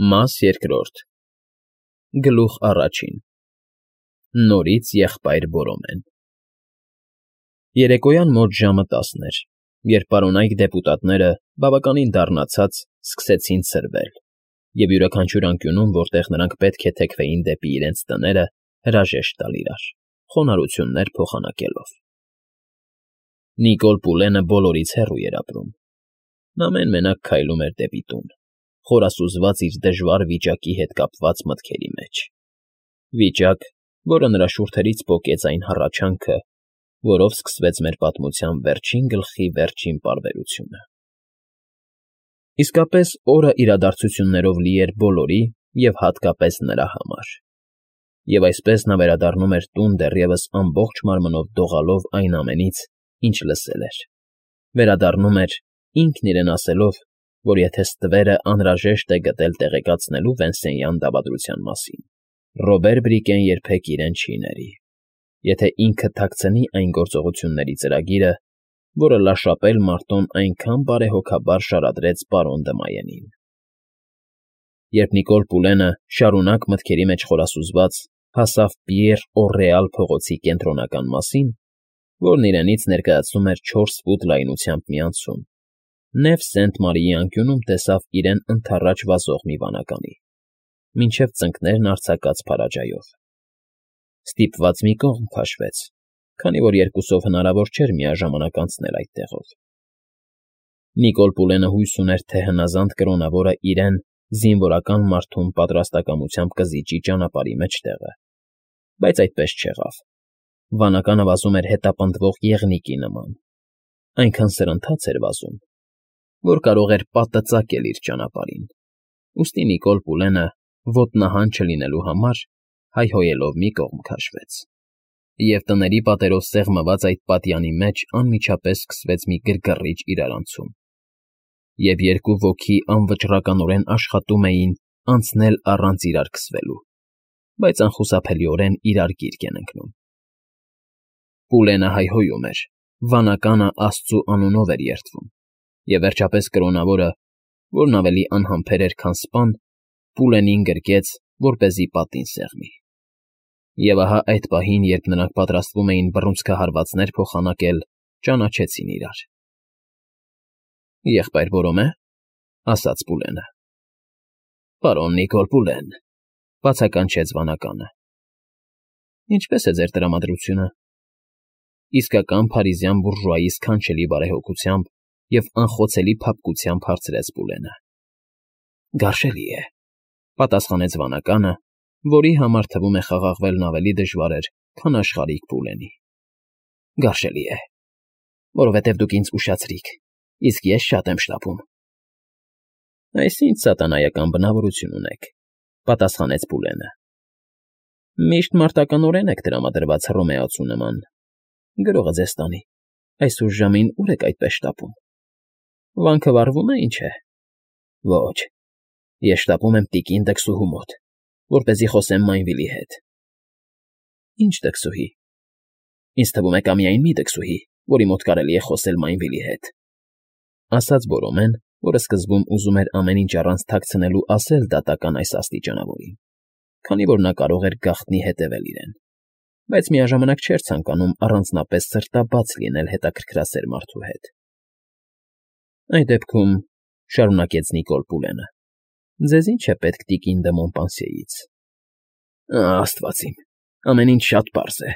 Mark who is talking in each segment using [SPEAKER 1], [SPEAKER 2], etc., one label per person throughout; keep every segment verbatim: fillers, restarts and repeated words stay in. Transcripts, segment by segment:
[SPEAKER 1] Մաս երկրորդ Գլուխ առաջին Նորից եղբայր Բորոմեն Երեկոյան մոտ ժամը տասն էր, երբ պարոնայք դեպուտատները, բավականին դառնացած, սկսեցին ցրվել և յուրաքանչյուր անկյունում, որտեղ նրանք պետք է թեքվեին դեպի իրենց տները, հրաժեշտ տալ իրար, խոնարհություններ փոխանակելով։ Նիկոլ Պուլենը բոլորից հեռու էր ապրում։ Նա մեն֊մենակ քայլում էր դեպի տուն, խորասուզված իր դժվար վիճակի հետ կապված մտքերի մեջ, վիճակ, որը նրա շուրթերից պոկեց այն հառաչանքը, որով սկսվեց մեր պատմության վերջին գլխի վերջին պարբերությունը։ Իսկապես, օրը իրադարձություններով լի էր բոլորի և հատկապես նրա համար, և այսպես նա վերադառնում էր տուն դեռևս ամբողջ մարմնով դողալով այն ամենից, ինչ լսել էր, վերադառնում էր, ինքն իրեն ասելով, որ եթե ստվերը անհրաժեշտ է գտել տեղեկացնելու Վենսենյան դավադրության մասին, Ռոբեր Բրիկեն երբեք իրեն չի ների, եթե ինքը թաքցնի այն գործողությունների ծրագիրը, որը լաշապել մարտոն այնքան բարեհոգաբար շարադրեց պարոն Դմայենին։ Երբ Նիկոլ Պուլենը, շարունակ մտքերի մեջ խորասուզված, հասավ Պիեռ Օռեալ փողոցի կենտրոնական մասին, որն իրենից ներկայացնում էր չորս ֆուտ լայնությամբ մի անցում, Նև Սենտ֊Մարիի անկյունում տեսավ իրեն ընդառաջ վազող մի վանականի, մինչև ծնկներն արձակած փարաջայով։ Ստիպված մի կողմ քաշվեց, քանի որ երկուսով հնարավոր չէր միաժամանակ անցնել այդտեղով։ Նիկոլ Պուլենը հույս ուներ, թե հնազանդ կրոնավորը իրեն զինվորական մարդում պատրաստակամությամբ կզիջի ճանապարհի մեջտեղը, բայց այդպես չեղավ։ Վանականը վազում էր հետապնդվող եղնիկի նման, այնքան սրընթաց էր վազում, որ կարող էր պատը ծակել իր ճանապարհին, ուստի Նիկոլ Պուլենը, ոտնահան չլինելու համար, հայհոյելով մի կողմ քաշվեց, և տների պատերով սեղմված այդ պատյանի մեջ անմիջապես սկսվեց մի գրգռիչ իրարանցում, և երկու ոգի անվճռականորեն աշխատում էին անցնել առանց իրար քսվելու, բայց անխուսափելիորեն իրար գիրկ են ընկնում։ Պուլենը հայհոյում էր, վանականը աստծու անունով էր երդվում, և վերջապես կրոնավորը, որն ավելի անհամբեր էր, քան սպան, Պուլենին գրկեց, որպեսզի պատին սեղմի։ Եվ ահա այդ պահին, երբ նրանք պատրաստվում էին բռունցքահարվածներ փոխանակել, ճանաչեցին իրար։ ֊ Եղբայր Բորոմե,֊ ասաց Պուլենը։ ֊ Պարոն Նիկոլ Պուլեն,֊ բացականչեց վանականը։ ֊ Ինչպե՞ս է ձեր տրամադրությունը,֊ իսկական փարիզյան բուրժուայի սքանչելի բարեհոգությամբ և անխոցելի փափկությամբ հարցրեց Պուլենը։ ֊ Գարշելի է,֊ պատասխանեց վանականը, որի համար թվում է խաղաղվելն ավելի դժվար էր, քան աշխարհիկ Պուլենի։ ֊ Գարշելի է, որովհետև դուք ինձ ուշացրիք, իսկ ես շատ եմ շտապում։ ֊ Այս ի՞նչ սատանայական բնավորություն ունեք,֊ պատասխանեց Պուլենը։ ֊ Միշտ մարտականորեն եք տրամադրված Հռոմեացու նման, գրողը ձեզ տանի, այս ուշ ժամին ուր եք այդպես շտապում։ Վանքը վառվո՞ւմ է, ինչ է։ ֊ Ոչ, ես շտապում եմ տիկին դքսուհու մոտ, որպեսզի խոսեմ Մայնվիլի հետ։ ֊ Ի՞նչ դքսուհի։ ֊ Ինձ թվում է կա միայն մի դքսուհի, որի մոտ կարելի է խոսել Մայնվիլի հետ,֊ ասաց Բորոմեն, որը սկզբում ուզում էր ամեն ինչ առանց թաքցնելու ասել դատական այս աստիճանավորին, քանի որ նա կարող էր գաղտնի հետևել իրեն, բայց միաժամանակ չէր ցանկանում առանձնապես սրտաբաց լինել հետաքրքրասեր մարդու հետ։ ֊ Այդ դեպքում,֊ շարունակեց Նիկոլ Պուլենը,֊ ձեզ ի՞նչ է պետք տիկին դը Մոնպանսիեից։ ֊ Աստված իմ, ամեն ինչ շատ պարզ է,֊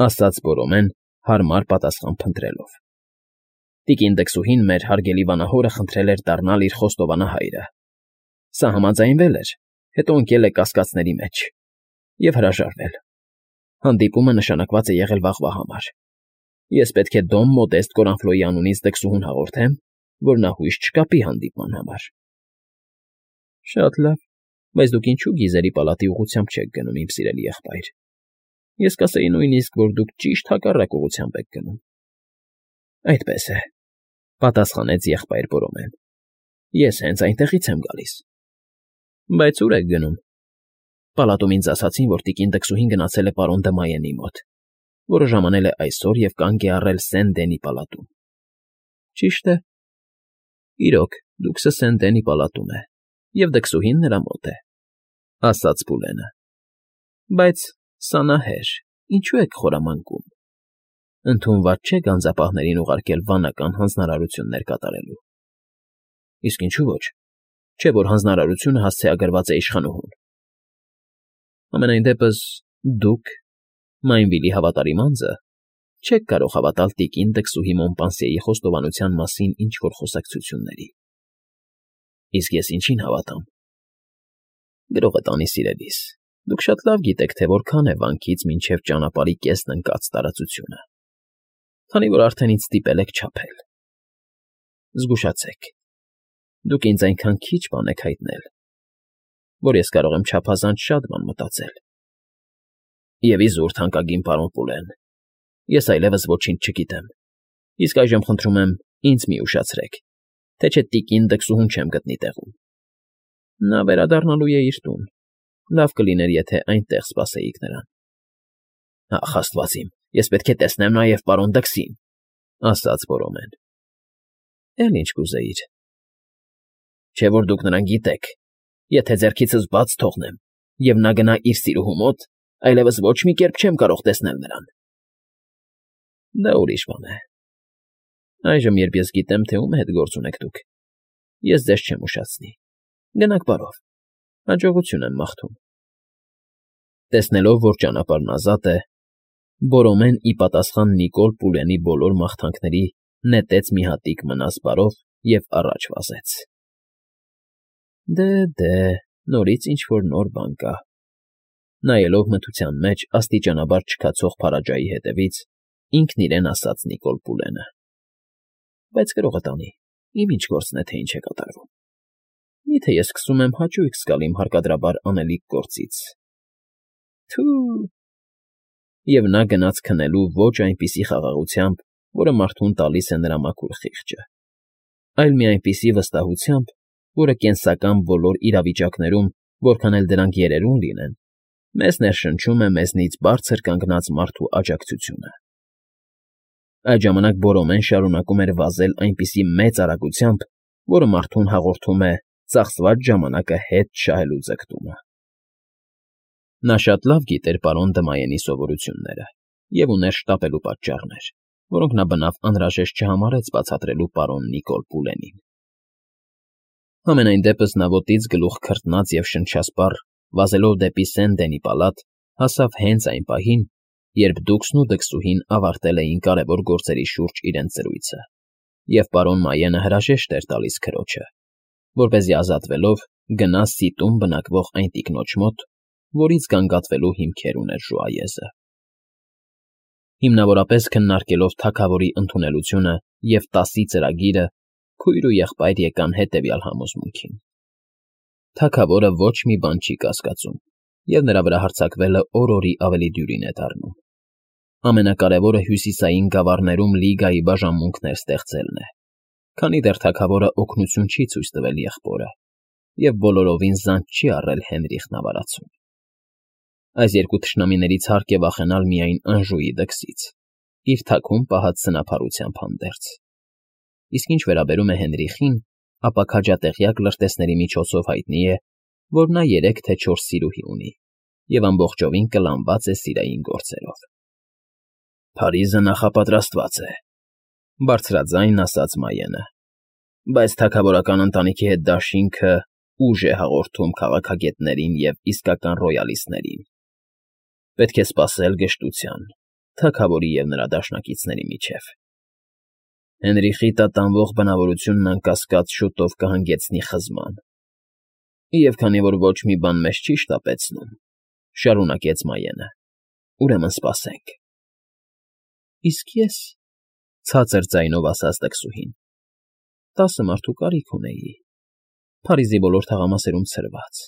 [SPEAKER 1] ասաց Բորոմեն, հարմար պատասխան փնտրելով։ Տիկին դքսուհին մեր հարգելի վանահորը խնդրել էր դառնալ իր խոստովանահայրը։ Սա համաձայնվել էր, հետո ընկել է կասկածների մեջ և հրաժարվել։ Հանդիպումը նշանակված է եղել վաղվա համար։ Ես պետք է Դոն Մոդեստ Կորանֆլոյի անունից դքսուհուն հաղորդեմ, որ նա հույս չկապի հանդիպման համար։ ֊ Շատ լավ, բայց դուք ինչո՞ւ Գիզերի պալատի ուղղությամբ չեք գնում, իմ սիրելի եղբայր։ Ես կասեի նույնիսկ, որ դուք ճիշտ հակառակ ուղղությամբ եք գնում։ ֊ Այդպես է,֊ պատասխանեց եղբայր Բորոմեն։ Ես հենց այնտեղից եմ գալիս։ ֊ Բայց ո՞ւր եք գնում։ ֊ Պալատում ինձ ասացին, որ տիկին դքսուհին գնացել է պարոն Դմայենի մոտ, որը ժամանել է այսօր և կանգ է առել Սեն֊Դենի պալատում։ ֊ Ճիշտ է։ Իրոք, Դուքսը Սեն֊Դենի պալատում է, և դքսուհին նրա մոտ է, ֊ ասաց Պուլենը։ ֊ Բայց, սանահեր, ինչո՞ւ եք խորամանկում. ընդունված չէ գանձապահներին ուղարկել վանական հանձնարարություններ կատարելու։ ֊ Իսկ ինչու ոչ, չէ՞ որ հանձնարարությունը հասցեագրված է իշխանուհուն։ ֊ Համենայն դեպս դուք, Մայնվիլի հավատարիմ անձը, չեք կարող հավատալ տիկին դքսուհի Մոնպանսիեի խոստովանության մասին ինչ֊որ խոսակցությունների։ ֊ Իսկ ես ինչի՞ն հավատամ։ ֊ Գրողը տանի, սիրելիս, դուք շատ լավ գիտեք, թե որքան է վանքից մինչև ճանապարհի կեսն ընկած տարածությունը, քանի որ արդեն ինձ ստիպել եք չափել։ Զգուշացեք, դուք ինձ այնքան քիչ բան եք հայտնել, որ ես կարող եմ չափազանց շատ բան մտածել։ Եվ իզուր, թանկագին պարոն Պուլեն, ես այլևս ոչինչ չգիտեմ, իսկ այժմ խնդրում եմ ինձ մի ուշացրեք, թե չէ տիկին դքսուհուն չեմ գտնի տեղում։ Նա վերադառնալու է իր տուն, լավ կլիներ, եթե այնտեղ սպասեիք նրան։ ֊ Ախ, աստված իմ, ես պետք է տեսնեմ նաև պարոն Դքսին, ֊ ասաց Բորոմեն։ ֊ Էլ ինչ կուզեիր։ ֊ Չէ՞ որ դուք նրան գիտեք, եթե ձեռքիցս բաց թողնեմ, և նա գնա իր սիրուհու մոտ, այլևս ոչ մի կերպ չեմ կարող տեսնել նրան։ ֊ Դա ուրիշ բան է։ Այժմ, երբ ես գիտեմ, թե ում հետ գործ ունեք դուք, ես ձեզ չեմ ուշացնի։ Գնաք բարով, հաջողություն եմ մաղթում։ Տեսնելով, որ ճանապարհն ազատ է, Բորոմեն ի պատասխան Նիկոլ Պուլենի բոլոր մաղթանքների նետեց մի հատիկ մնաս բարով և առաջ վազեց։ Դե, նորից ինչ֊որ նոր բան կա, ֊ նայելով մթության մեջ աստիճանաբար չքացող փարաջայի հետևից, ինքն իրեն ասաց Նիկոլ Պուլենը։ Բայց գրողը տանի, իմ ինչ գործն է, թե ինչ է կատարվում։ Միթե ես սկսում եմ հաճույք զգալ իմ հարկադրաբար անելիք գործից։ Թո՛ւ… Եվ նա գնաց քնելու ոչ այնպիսի խաղաղությամբ, որը մարդուն տալիս է նրա մաքուր խիղճը, այլ մի այնպիսի վստահությամբ, որը կենսական բոլոր իրավիճակներում, որքան էլ դրանք երերուն լինեն, մեզ ներշնչում է մեզնից բարձր կանգնած մարդու աջակցությունը։ Այդ ժամանակ Բորոմեն շարունակում էր վազել այնպիսի մեծ արագությամբ, որը մարդուն հաղորդում է ծախսված ժամանակը հետ շահելու ձգտումը։ Նա շատ լավ գիտեր պարոն Դմայենի սովորությունները և ուներ շտապելու պատճառներ, որոնք նա բնավ անհրաժեշտ չհամարեց բացատրելու պարոն Նիկոլ Պուլենին։ Համենայն դեպս նա ոտից գլուխ քրտնած և շնչասպառ, վազելով դեպի Սեն֊Դենի պալատ, հասավ հենց այն պահին, երբ դուքսն ու դքսուհին ավարտել էին կարևոր գործերի շուրջ իրենց զրույցը, և պարոն Մայենը հրաժեշտ էր տալիս քրոջը, որպեսզի ազատվելով գնա սիտում բնակվող այն տիկնոջ մոտ, որից գանգատվելու հիմքեր ուներ ժուայեզը։ Հիմնավորապես քննարկելով թագավորի ընդունելությունը և տասի ծրագիրը, քույր ու եղբայր եկան հետևյալ համոզմունքին. թագավորը ոչ մի բան չի կասկածում, և նրա վրա հարձակվելը օր֊օրի ավելի դյուրին է դառնում։ Ամենակարևորը հյուսիսային գավառներում լիգայի բաժանմունքներ ստեղծելն է, քանի դեռ թագավորը օգնություն չի ցույց տվել եղբորը և բոլորովին զանց չի առել Հենրիխն ավարածուն։ Այս երկու թշնամիներից հարկ է վախենալ միայն Անժուի դքսից, իր թաքում պահած սնափառությամբ հանդերձ։ Իսկ ինչ վերաբերում է Հենրիխին, ապա քաջատեղյակ լրտեսների միջոցով հայտնի է, որ նա երեք թե չորս սիրուհի ունի և ամբողջովին կլանված է սիրային գործերով։ Փարիզը նախապատրաստված է, ֊ բարձրաձայն ասաց Մայենը, բայց թագավորական ընտանիքի հետ դաշինքը ուժ է հաղորդում քաղաքագետներին և իսկական ռոյալիստներին։ Պետք է սպասել գժտության, թագավորի և նրա դաշնակիցների միջև։ Հենրիխի տատանվող բնավորությունն անկասկած շուտով կհանգեցնի խզման։ Եվ քանի որ ոչ մի բան մեզ չի շտապեցնում, շարունակեց Մայենը, ուրեմն սպասենք։ Իսկ ես, ֊ ցածր ձայնով ասաց դքսուհին, տասը մարդու կարիք ունեի, Փարիզի բոլոր թաղամասերում ցրված,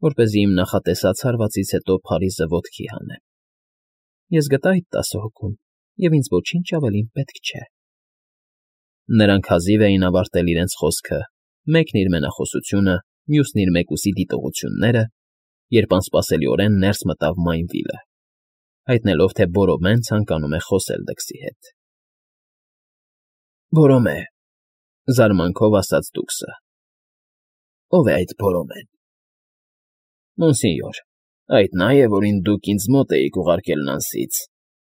[SPEAKER 1] որպեսզի իմ նախատեսած հարվածից հետո Փարիզը ոտքի հանեմ։ Ես գտա այդ տասը հոգուն, և ինձ ոչինչ ավելին պետք չէ։ Նրանք հազիվ էին ավարտել իրենց խոսքը, մեկն իր մենախոսությունը, մյուսն իր մեկուսի դիտողությունները, երբ անսպասելիորեն ներս մտավ Մայնվիլը, հայտնելով, թե Բորոմեն ցանկանում է խոսել դքսի հետ։ ֊ Բորոմե, ֊ զարմանքով ասաց դուքսը, ով է այդ Բորոմեն։ Մոնսինյոր, այդ նա է, որին դուք ինձ մոտ էիք ուղարկել Նանսից,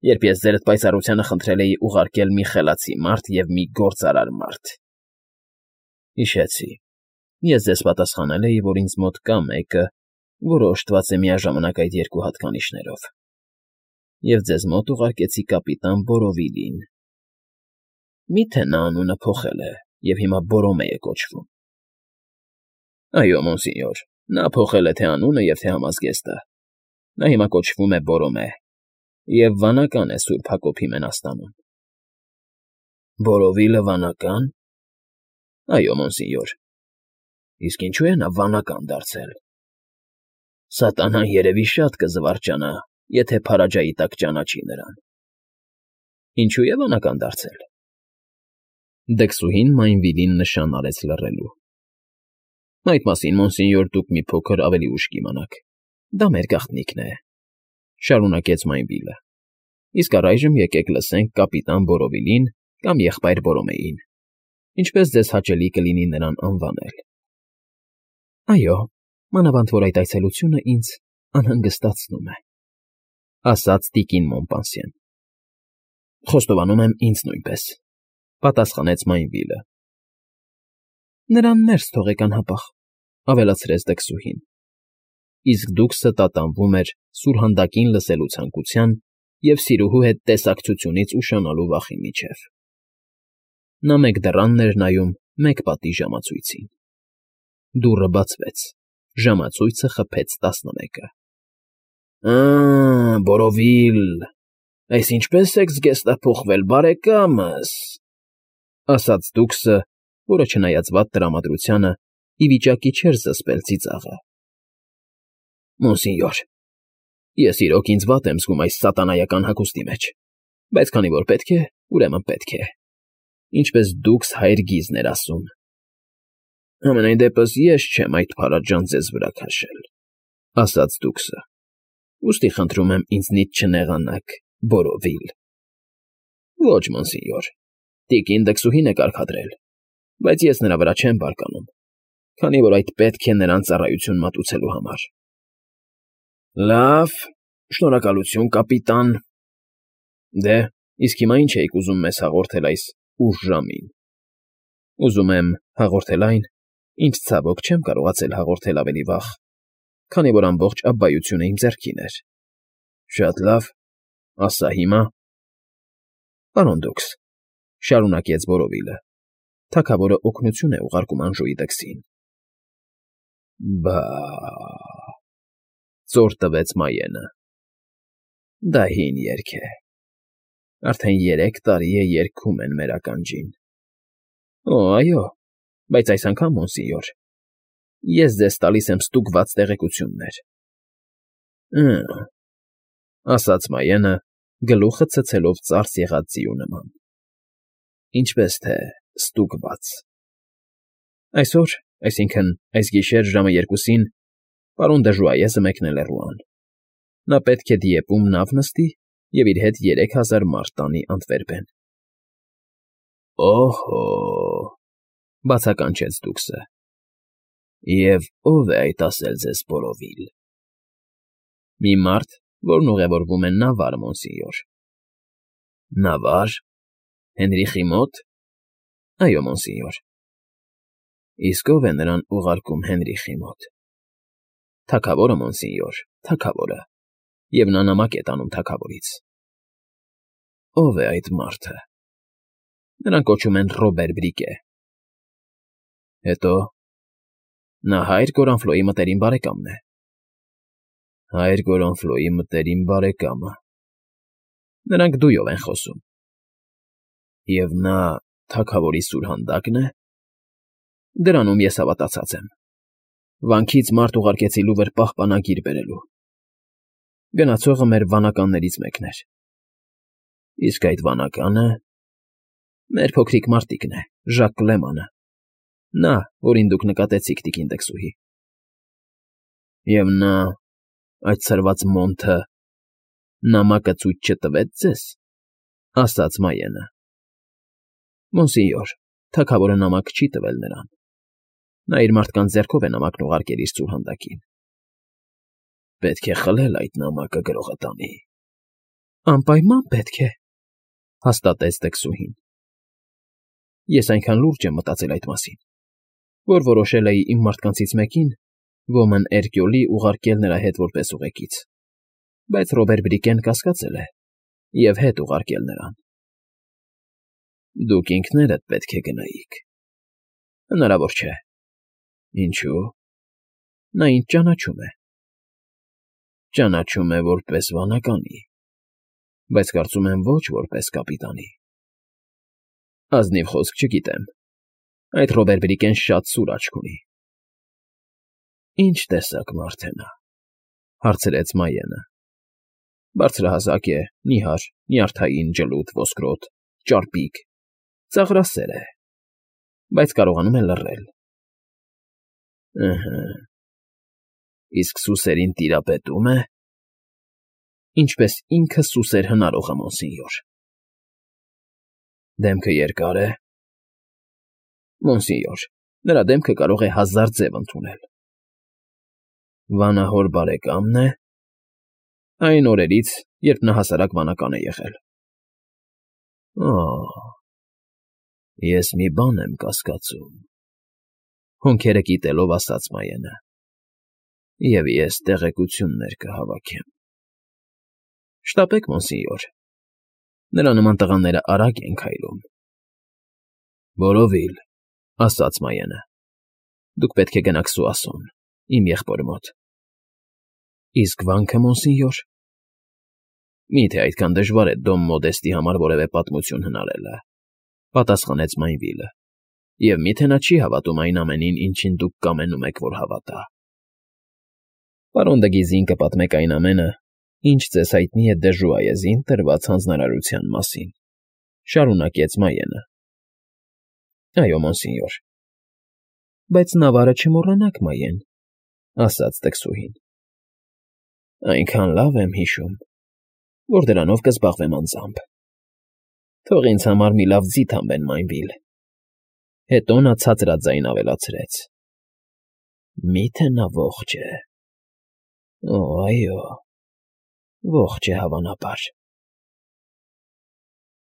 [SPEAKER 1] երբ ես ձերդ պայծառությանը խնդրել էի ուղարկել մի խելացի մարդ և մի գործարար մարդ։ Հիշեցի, ես ձեզ պատասխանել էի, որ ինձ մոտ կա մեկը, որը օժտված է միաժամանակ այդ երկու հատկանիշներով, և ձեզ մոտ ուղարկեցի կապիտան Բորովիլին։ Մի՞թե նա անունը փոխել է և հիմա Բորոմե է կոչվում։ Այո, մոնսինյոր, նա փոխել է թե անունը և թե համազգեստը։ Նա հիմա կոչվում է Բորոմե և վանական է Սուրբ Հակոբի մենաստանում։ Բորովիլը վանակա՞ն։ Այո, մոնսինյոր։ Իսկ ինչու է նա վանական դարձել։ Սատանան երևի շատ կզվարճանա, եթե փարաջայի տակ ճանաչի նրան։ Ինչու է վանական դարձել։ Դքսուհին Մայնվիլին նշան արեց լռելու։ Այդ մասին, մոնսինյոր, դուք մի փոքր ավելի ուշ կիմանաք։ Դա մեր գաղտնիքն է,֊ շարունակեց Մայնվիլը։ Իսկ առայժմ եկեք լսենք կապիտան Բորովիլին կամ եղբայր Բորոմեին, ինչպես ձեզ հաճելի կլինի նրան անվանել։ Այո, մանավանդ որ այդ այցելությունը ինձ անհանգստացնում է,֊ ասաց տիկին Մոմպանսիեն։ Խոստովանում եմ, ինձ նույնպես,֊ պատասխանեց Մայնվիլը։ Նրան ներս թողեք անհապաղ,֊ ավելացրեց դքսուհին։ Իսկ դուքսը տատանվում էր սուրհանդակին լսելու ցանկության և սիրուհու հետ տեսակցությունից ուշանալու վախի միջև։ Նա մեկ դռանն էր նայում, մեկ պատի ժամացույցին։ Դուռը բացվեց, ժամացույցը խփեց տասնմեկը։ Ա՜, Բորովիլ, այս ինչպես եք զգեստափոխվել, բարեկամս,֊ ասաց դուքսը, որը չնայած վատ տրամադրությանը, ի վիճակի չէր զսպել ծիծաղը։ Մոնսինյոր, ես իրոք ինձ վատ եմ զգում այս սատանայական հագուստի մեջ, բայց քանի որ պետք է, ուրեմն պետք է, ինչպես դուքս հայր գիզն էր ասում։ Համենայն դեպս ես չեմ այդ փարաջան ձեզ վրա քաշել,֊ ասաց դուքսը։ Ուստի խնդրում եմ ինձնից չնեղանաք, Բորովիլ։ Ոչ, մոնսինյոր, տիկին դքսուհին է կարգադրել, բայց ես նրա վրա չեմ բարկանում, քանի որ այդ պետք է նրան ծառայություն մատուցելու համար։ Լավ, շնորհակալություն, կապիտան։ Դե, իսկ հիմա ինչ էիք ուզում մեզ հաղորդել այս ուշ ժամին։ Ուզում եմ հաղորդել այն, ինչ ցավոք չեմ կարողացել հաղորդել ավելի վաղ, քանի որ ամբողջ աբբայությունը իմ ձեռքին էր։ Շատ լավ, ասա հիմա։ Պարոն դուքս, շարունակեց Բորովիլը, թագավորը օգնություն է ուղարկում Անժուի դքսին։ Բա… ծոր տվեց Մայենը։ Դա հին երգ է։ Արդեն երեք տարի է երգում են մեր ականջին։ Օ, այո, բայց այս անգամ, մոնսինյոր, ես ձեզ տալիս եմ ստուգված տեղեկություններ։ Ը՛, ասաց Մայենը, գլուխը ցցելով ծարս եղած ձիու նման։ Ինչպես թե ստուգված։ Այսօր, այսինքն այս գիշեր ժամը երկուսին, պարոն Դժուայեսը մեկնել է Ռուան։ Նա պետք է Դիեպում նավ նստի և իր հետ երեք հազար մարդ տանի Անտվերպեն։ Օհո՜, բացականչեց դուքսը։ Եվ ո՞վ է այդ ասել ձեզ, Բորովիլ։ Մի մարդ, որն ուղևորվում է նավար, մոնսինյոր։ Նավար… Հենրիխի մոտ։ Այո, մոնսինյոր։ Իսկ ո՞վ է նրան ուղարկում Հենրիխի մոտ։ Թագավորը, մոնսինյոր, թագավորը, և նա նամակ է տանում թագավորից։ Ո՞վ է այդ մարդը։ Նրան կոչում են Ռոբեր Բրիկե։ Հետո… նա հայր Գորանֆլոյի մտերիմ բարեկամն է։ Հայր Գորանֆլոյի մտերիմ բարեկամը… Նրանք դույով են խոսում։ Եվ նա թագավորի սուրհանդակն է։ Դրանում ես հավատացած եմ։ Վանքից մարդ ուղարկեցի լուվր պահպանագիր բերելու։ Գնացողը մեր վանականներից մեկն էր։ Իսկ այդ վանականը… մեր փոքրիկ մարտիկն է, Ժակ Կլեմանը, նա, որին դուք նկատեցիք, տիկին դքսուհի։ Եվ նա… այդ ցրված մոնթը… նամակը ցույց չտվեց ձեզ, ասաց Մայենը։ Մոնսինյոր, թագավորը նամակ չի տվել նրան։ Նա իր մարդկանց ձեռքով է նամակն ուղարկել իր սուրհանդակին։ Պետք է խլել այդ նամակը գրողը տանի։ Անպայման պետք է, հաստատեց տկսուհին։ Ես այնքան լուրջ եմ մտածել այդ մասին, որ որոշել էի իմ մարդկանցից մեկին, Ոմն Էրկյոլի, ուղարկել նրա հետ որպես ուղեկից, բայց Ռոբեր Բրիկեն կասկածել է և հետ ուղարկել նրան։ Դուք ինքներդ պետք է գնայիք։ Հնարավոր չէ։ Ինչու՞։ Նա ինձ ճանաչում է։ Ճանաչում է որպես վանականի, բայց կարծում եմ ոչ որպես կապիտանի։ Ազնիվ խոսք չգիտեմ, այդ Ռոբեր Բրիկեն շատ սուր աչք ունի։ Ինչ տեսակ մարդ է նա, հարցրեց Մայենը։ Բարձրահասակ է, նիհար, նյարդային, ջլուդ, ոսկրոտ, ճարպիկ, ծաղրասեր է, բայց կարողանում է լռել։ Ըհը, իսկ սուսերին տիրապետում է։ Ինչպես ինքը սուսեր հնարողը, մոնսինյոր։ Դեմքը երկա՞ր է։ Մոնսինյոր, նրա դեմքը կարող է հազար ձև ընդունել։ Վանահոր բարեկամն է։ Այն օրերից, երբ նա հասարակ վանական է եղել։ Օ՜, ես մի բան եմ կասկածում, հոնքերը կիտելով ասաց Մայենը, և ես տեղեկություններ կհավաքեմ։ Շտապեք, մոնսինյոր, նրա նման տղաները արագ են քայլում։ Որովիլ, ասաց Մայենը, դուք պետք է գնաք Սուասոն, իմ եղբորը մոտ։ Իսկ վանքը, մոնսինյոր։ Մի՞թե այդքան դժվար է Դոմ Մոդեստի համար որևէ պատմություն հնարելը, պատասխանեց Մայնվիլը, և մի՞թե նա չի հավատում այն ամենին, ինչին դուք կամենում եք, որ հավատա։ Պարոն Դգիզին կպատմեք այն ամենը, ինչ ձեզ հայտնի է Դժուայեզին տրված հանձնարարության մասին, շարունակեց Մայենը։ Այո, մոնսինյոր։ Բայց նավարը չմոռանաք, Մայեն, ասաց տկսուհին։ Այնքան լավ եմ հիշում, որ դրանով կզբաղվեմ անձամբ։ Թող ինձ համար մի լավ ձիթ հանվեն, Մայնվիլ։ Հետո նա ցածրաձայն ավելացրեց. Մի՞թե նա ողջ է։ Օ, այո, ողջ է հավանաբար։